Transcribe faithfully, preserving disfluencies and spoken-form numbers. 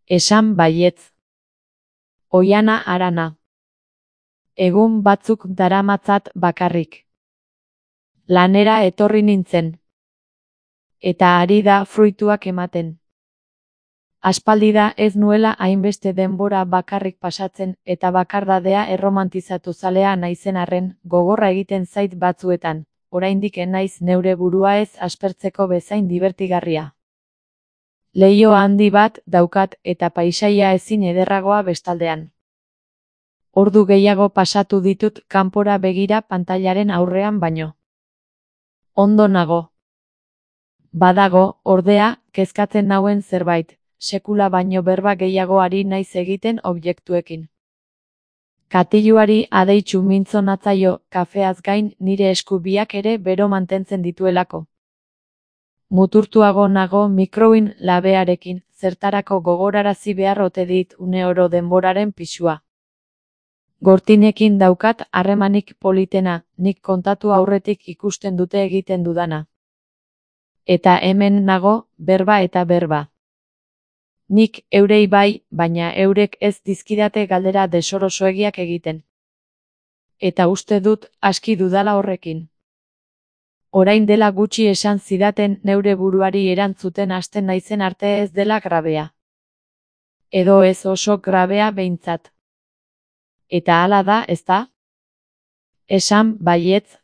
Esan baietz. Oiana Arana. Egun batzuk daramatzat bakarrik. Lanera etorri nintzen. Eta ari da fruituak ematen. Aspaldi da ez nuela hainbeste denbora bakarrik pasatzen eta bakardadea erromantizatu zalea naizen arren, gogorra egiten zait batzuetan, oraindik ez naiz neure burua ez aspertzeko bezain dibertigarria. Leiho handi bat daukat eta paisaia ezin ederragoa bestaldean. Ordu gehiago pasatu ditut kanpora begira pantailaren aurrean baino. Ondo nago. Badago, ordea, kezkatzen nauen zerbait, sekula baino berba gehiago ari naiz egiten objektuekin. Katiluari adeitsu mintzo natzaio, kafeaz gain nire esku biak ere bero mantentzen dituelako. Muturtuago nago mikroin labearekin, zertarako gogorarazi behar ote dit une oro denboraren pisua. Gortinekin daukat harremanik politena, nik kontatu aurretik ikusten dute egiten dudana. Eta hemen nago, berba eta berba. Nik eurei bai, baina eurek ez dizkidate galdera desorosoegiak egiten. Eta uste dut, aski dudala horrekin. Orain dela gutxi esan zidaten neure buruari erantzuten hasten naizen arte ez dela grabea. Edo ez oso grabea behintzat. Eta hala da, ezta? Esan baietz.